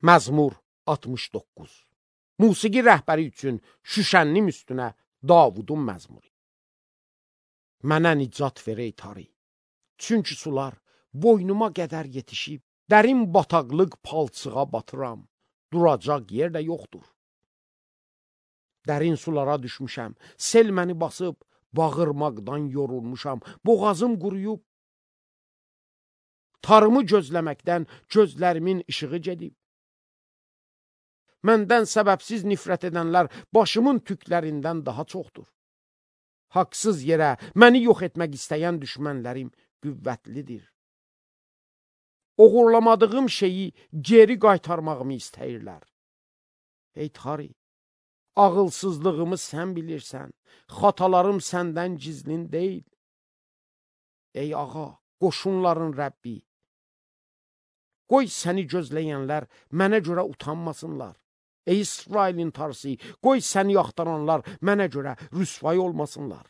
Məzmur 69. Musiqi rəhbəri üçün Şüşənnim üstünə Davudun məzmuru. Mənə nicat ver ey Tari, çünki sular boynuma qədər yetişib, dərin bataqlıq palçığa batıram, duracaq yer də yoxdur. Dərin sulara düşmüşəm, sel məni basıb, bağırmaqdan yorulmuşam, boğazım quruyub, tarımı gözləməkdən gözlərimin işığı gedib. Məndən səbəbsiz nifrət edənlər başımın tüklərindən daha çoxdur. Haqsız yerə məni yox etmək istəyən düşmənlərim qüvvətlidir. Oğurlamadığım şeyi geri qaytarmağımı istəyirlər. Ey Tari, ağılsızlığımı sən bilirsən, xatalarım səndən gizlin deyil. Ey ağa, qoşunların Rəbbi, qoy səni gözləyənlər mənə görə utanmasınlar. Ey İsrailin Tarsi, qoy səni axtaranlar mənə görə rüsvay olmasınlar.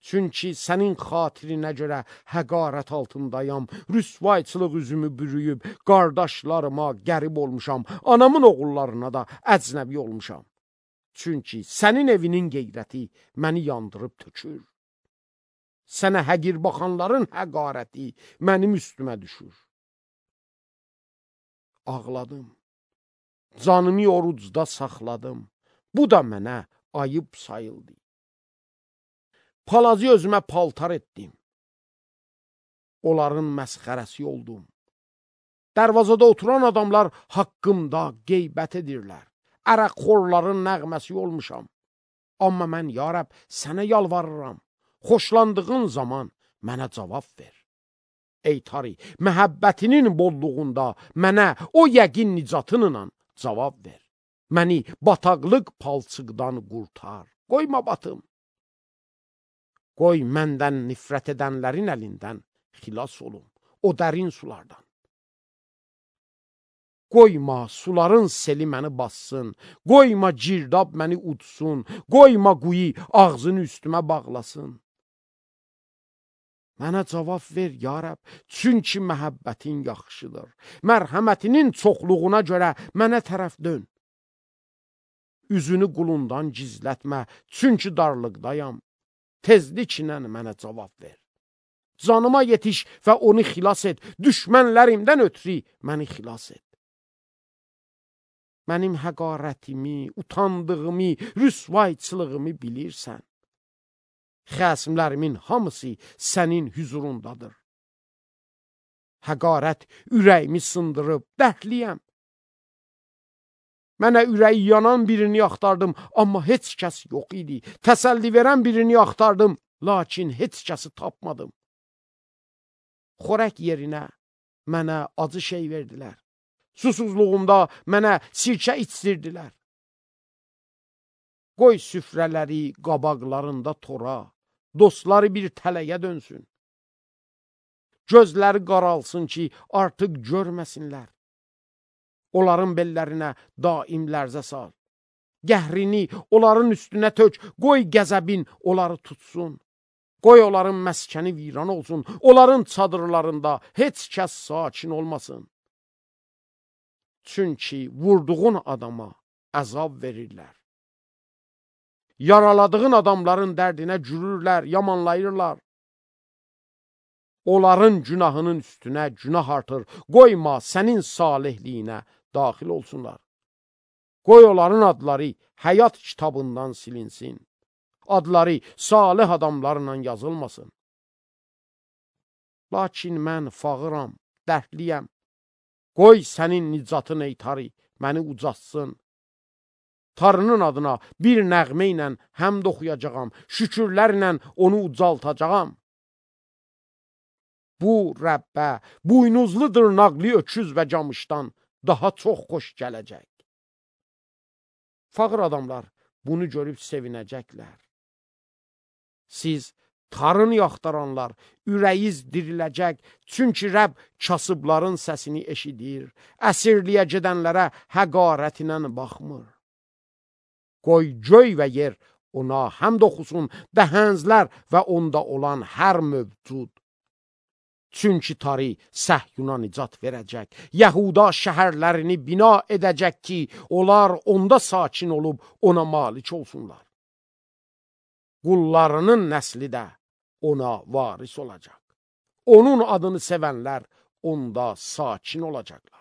Çünki sənin xatirinə görə həqarət altındayam, rüsvayçılıq üzümü bürüyüb, qardaşlarıma qərib olmuşam, anamın oğullarına da əcnəbi olmuşam. Çünki sənin evinin qeyrəti məni yandırıb tökür. Sənə həqir baxanların həqarəti mənim üstümə düşür. Ağladım, canımı orucda saxladım, bu da mənə ayıb sayıldı. Palazı özümə paltar etdim, onların məsxərəsi oldum. Dərvazada oturan adamlar haqqımda qeybət edirlər, ərəqxorların nəğməsi olmuşam. Amma mən, ya Rəbb, sənə yalvarıram, xoşlandığın zaman mənə cavab ver. Ey Tari, məhəbbətinin bolluğunda mənə o yəqin nicatınla cavab ver. Məni bataqlıq palçıqdan qurtar, qoyma batım. Qoy məndən nifrət edənlərin əlindən xilas olum, o dərin sulardan. Qoyma suların seli məni bassın, qoyma girdab məni udsun, qoyma quyu ağzını üstümə bağlasın. Mənə cavab ver, ya Rəbb, çünki məhəbbətin yaxşıdır. Mərhəmətinin çoxluğuna görə mənə tərəf dön. Üzünü qulundan gizlətmə, çünki darlıqdayam. Tezliklə mənə cavab ver. Canıma yetiş və onu xilas et. Düşmənlərimdən ötürü məni xilas et. Mənim həqarətimi, utandığımı, rüsvayçılığımı bilirsən. Xəsimlərimin hamısı sənin hüzurundadır. Həqarət ürəyimi sındırıb, dəhliyəm. Mənə ürəyi yanan birini axtardım, amma heç kəs yox idi. Təsəlli verən birini axtardım, lakin heç kəsi tapmadım. Xörək yerinə mənə acı şey verdilər. Susuzluğumda mənə sirkə içdirdilər. Qoy süfrələri qabaqlarında tora, dostları bir tələyə dönsün. Gözləri qaralsın ki, artıq görməsinlər. Onların bellərinə daim lərzə sal. Gəhrini onların üstünə tök, qoy qəzəbin onları tutsun. Qoy onların məskəni viran olsun, onların çadırlarında heç kəs sakin olmasın. Çünki vurduğun adama əzab verirlər. Yaraladığın adamların dərdinə gülürlər, yamanlayırlar. Onların günahının üstünə günah artır, qoyma sənin salihliyinə daxil olsunlar. Qoy onların adları həyat kitabından silinsin. Adları salih adamlarla yazılmasın. Lakin mən fağıram, dərdliyəm. Qoy sənin nicatın ey Tari məni ucatsın. Tarının adına bir nəğmə ilə həmd oxuyacağam, şükürlərlə onu ucaltacağam. Bu Rəbbə buynuzlu dırnaqlı öküz və camışdan daha çox xoş gələcək. Fağır adamlar bunu görüb sevinəcəklər. Siz tarını yaxtaranlar, ürəyiz diriləcək, çünki Rəbb kasıbların səsini eşidir, əsirliyə gedənlərə həqarətinə baxmır. Qoy göy və yer ona həmd oxusun, dəhənzlər və onda olan hər mövcud. Çünki tari Səhyuna nicat verəcək. Yəhuda şəhərlərini bina edəcək ki, onlar onda sakin olub ona malik olsunlar. Qullarının nəsli də ona varis olacaq. Onun adını sevənlər onda sakin olacaqlar.